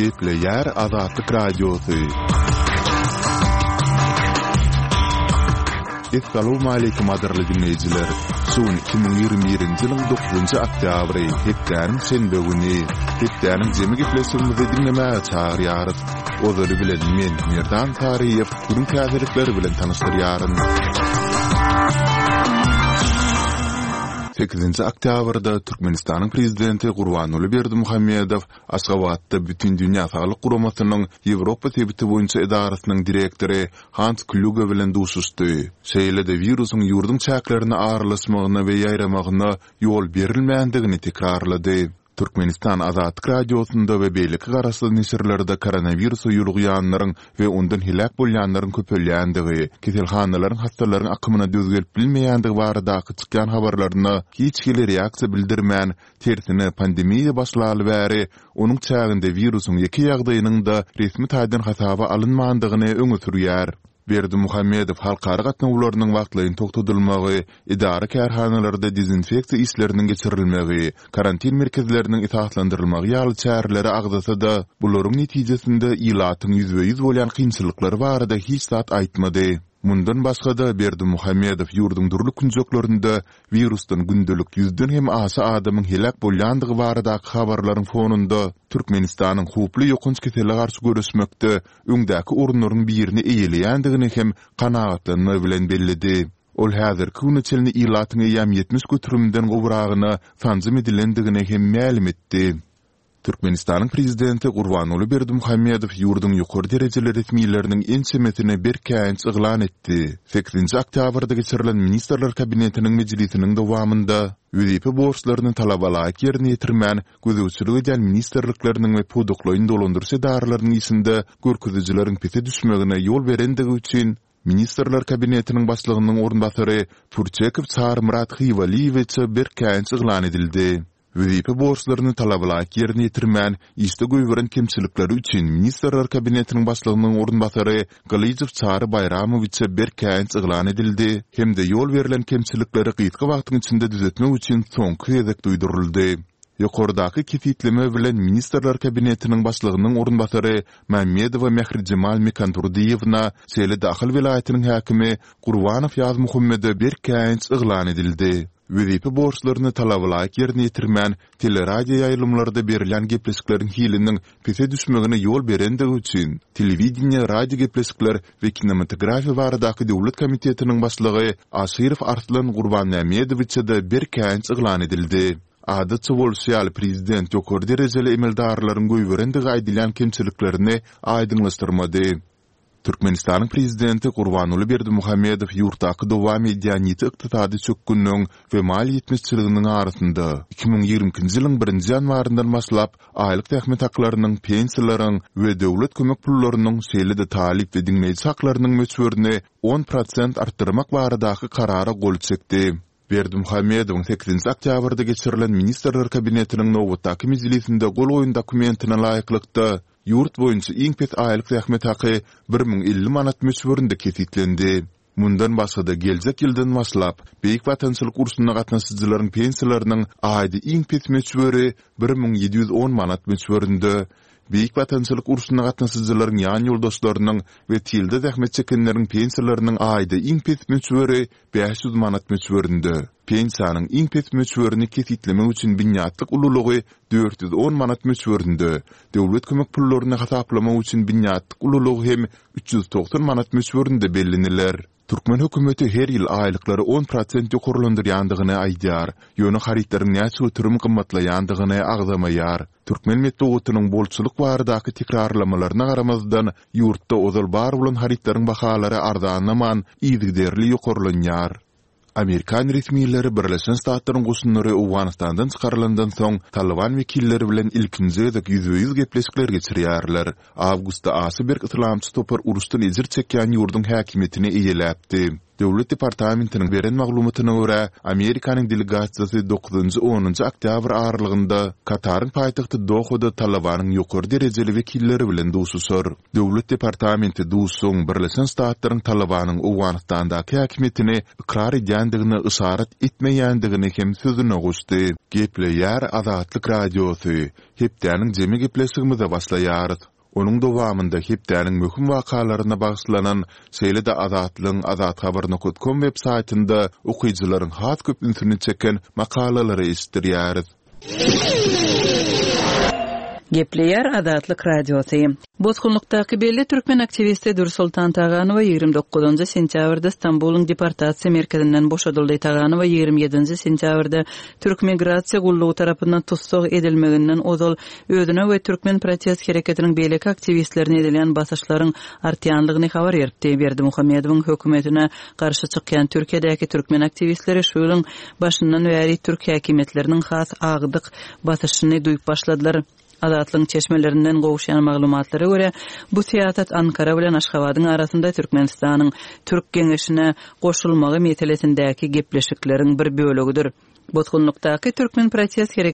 Gepleýär Azatlyk Radiosy. Essalawmaleýkim gadyrly diňleýjiler! Şu gün 2021-nji ýylyň dokuzynjy oktýabry, hepdäniň şenbe güni. Hepdäniň jemi gepleşigimizi diňlemäge çagyrýarys. Ozaly bilen men, Merdan Saryýew, günüň täzelikleri bilen tanyşdyrýaryn. Sekizinji oktýabrda Türkmenistanyň Prezidenti Gurbanguly Berdimuhamedow Aşgabatda Bütindünýä Saglyk Guramasynyň Ýewropa sebiti boýunça edarasynyň direktory Hans Klýuge bilen duşuşdy. Şeýle-de wirusyň ýurduň çäklerine aralaşmagyna we ýaýramagyna ýol berilmändigini tekrarlady. Türkmenistan Azatlyk Radiosynda we beýleki garaşsyz neşirlerde koronawirusa ýolugýanlaryň we ondan heläk bolýanlaryň köpelýändigi, keselhanalaryň hassalaryň akymyna döz gelip bilmeýändigi baradaky çykýan habarlaryna hiç hili reaksiýa bildirmän, tersine, pandemiýa başlaly bäri onuň çäginde wirusyň ýeke ýagdaýynyň-da resmi taýdan hasaba alynmandygyny öňe sürýär. Berdimuhamedow halkara gatnawlarynyň wagtlaýyn togtadylmagy, edara-kärhanalarda dezinfeksiýa işleriniň geçirilmegi, karantin merkezleriniň esaslandyrylmagy ýaly çäreleri agzasa-da, bularyň netijesinde ilatyň ýüzbe-ýüz bolýan kynçylyklary barada hiç zat aýtmady. Mundan başga-da, Berdimuhamedow ýurduň dürli künjeklerinde wirusdan gündelik ýüzden hem aşa adamyň heläk bolýandygy baradaky habarlaryň fonunda Türkmenistanyň howply ýokanç kesele garşy göreşmekde öňdäki orunlaryň birini eýeleýändigini hem kanagatlanma bilen belledi. Ol häzirki güne çenli ilatyň eýýäm 70 göterimden gowragyna sanjym edilendigini hem mälim etdi. Türkmenistanyň Prezidenti Gurbanguly Berdimuhamedow ýurduň ýokary derejeli resmileriniň ençemesine berk käýinç yglan etdi. Sekizinji oktýabrda geçirilen Ministrler Kabinetiniň mejlisiniň dowamynda wezipe borçlaryny talabalaýyk ýerine ýetirmän gözegçilik edýän ministrlikleriniň we pudaklaýyn dolandyryş edaralarynyň işinde görkezijileriň pese düşmegine ýol berendigi üçin Ministrler Kabinetiniň Başlygynyň orunbasary Pürçekow Çarymyrat Hywalyýewiçe berk käýinç yglan edildi. Wezipe borçlaryny talabalaýyk ýerine ýetirmän, işde goýberen kemçilikleri üçin Ministrler Kabinetiniň Başlygynyň orunbasary Gylyjow Çary Baýramowiçe berk käýinç yglan edildi hem-de ýol berlen kemçilikleri gysga wagtyň içinde düzetmek üçin soňky gezek duýduryldy. Ýokardaky kesgitleme bilen Ministrler Kabinetiniň Başlygynyň orunbasary Mämmedowa Mährijemal Mekandurdyýewna, şeýle-de Ahal welaýatynyň häkimi Gurbanow Ýazmuhammede berk käýinç yglan edildi. Wezipe borçlaryny talabalaýyk ýerine ýetirmän, teleradioýaýlymlarda berilýän gepleşikleriň hiliniň pese düşmegine ýol berendigi üçin, Telewideniýe, radiogepleşikler we kinematografiýa baradaky döwlet komitetiniň başlygy Aşyrow Arslan Gurbanmämmedowiçe-de berk käýinç yglan edildi. Adatça bolşy ýaly, prezident ýokary derejeli emeldarlaryň goýberendigi aýdylýan kemçiliklerini aýdyňlaşdyrmady. Türkmenistanyň Prezidenti Gurbanguly Berdimuhamedow ýurtdaky dowam edýän ýiti ykdysady çökgünligiň we maliýe ýetmezçiliginiň arasynda, 2022-nji ýylyň birinji ýanwaryndan başlap, aýlyk zähmet haklarynyň, pensiýalaryň we döwlet kömek pullarynyň, şeýle-de talyp we diňleýji haklarynyň möçberini on prosent artdyrmak baradaky Karara gol çekdi. Berdimuhamedowyň sekizinji oktýabrda geçirilen Ministrler Kabinetiniň nobatdaky mejlisinde gol goýan dokumentine laýyklykda, ýurt boýunça iň pes aýlyk zähmet haky 1050 manat möçberinde kesgitlendi. Mundan başga-da, geljek ýyldan başlap, Beýik Watançylyk urşuna gatnaşyjylaryň pensiýalarynyň aýda iň pes möçberi 1710 manat möçberinde, Beýik Watançylyk urşuna gatnaşyjylaryň ýan ýoldaşlarynyň we tylda zähmet çekenleriň pensiýalarynyň aýda iň pes möçberi 500 manat möçberinde, pensiýanyň iň pes möçberini kesgitlemek üçin binýatlyk ululygy 410 manat möçberinde, döwlet kömek pullaryny hasaplamak üçin binýatlyk ululygy hem 390 manat möçberinde belleniler. Türkmen hökümeti her ýyl aýlyklary on prosent ýokarlandyrýandygyny aýdýar, ýöne harytlaryň näçe göterim gymmatlaýandygyny agzamaýar. Türkmen metbugatynyň bolçulyk baradaky tekrarlamalaryna garamazdan, ýurtda ozal bar bolan harytlaryň bahalary arzanlaman, yzygiderli ýokarlanýar. Amerikan resmileri Birleşen Ştatlaryň goşunlary Owganystandan çykarylandan soň, Talyban wekilleri bilen ilkinji gezek ýüzbe-ýüz gepleşikler geçirýärler. Awgustda aşa berk yslamçy topar uruşdan ejir çekýän ýurduň häkimiýetini eýeläpdi. Döwlet departamentiniň beren maglumatyna görä, Amerikanyň delegasiýasy dokuzynjy-onunjy oktýabr aralygynda Kataryň paýtagty Dohada Talybanyň ýokary derejeli wekilleri bilen duşuşar. Döwlet departamenti duşuşygyň Birleşen Ştatlaryň Talybanyň Owganystandaky häkimiýetini ykrar edýändigine yşarat etmeýändigini hem sözüne goşdy. Gepleýär Azatlyk Radiosy, Hepdäniň jemi gepleşigimize başlaýarys. Onuň dowamynda hepdäniň möhüm wakalaryna bagyşlanan, şeýle-de Azatlygyň azathabar nokat kom web saýtynda okyjylaryň has köp ünsüni çeken makalalary eşitdirýäris. Gepleýär Azatlyk Radiosy. Bosgunlykdaky belli türkmen aktiwisti Dürsoltan Taganowa 29 sentýabrda Stambulyň deportasiýa merkezinden boşadyldy. Taganowa 27 sentýabrda Türk migrasiýa gullugy tarapyndan tussag edilmeginden ozal özüne we türkmen protest hereketiniň beýleki aktiwistlerine edilýän basyşlaryň artýanlygyny habar beripdi. Berdimuhamedowyň hökümetine garşy çykýan Türkiýedäki türkmen aktiwistleri şu ýylyň başyndan bäri türk häkimiýetleriniň has agdyk basyşyny duýup başladylar. Azatlygyň çeşmelerinden gowuşýan maglumatlara görä, bu syýasat Ankara bilen Aşgabadyň arasynda Türkmenistanyň Türk geňeşine goşulmagy meselesindäki gepleşikleriň bir bölegidir. Bosgunlykdaky türkmen protest.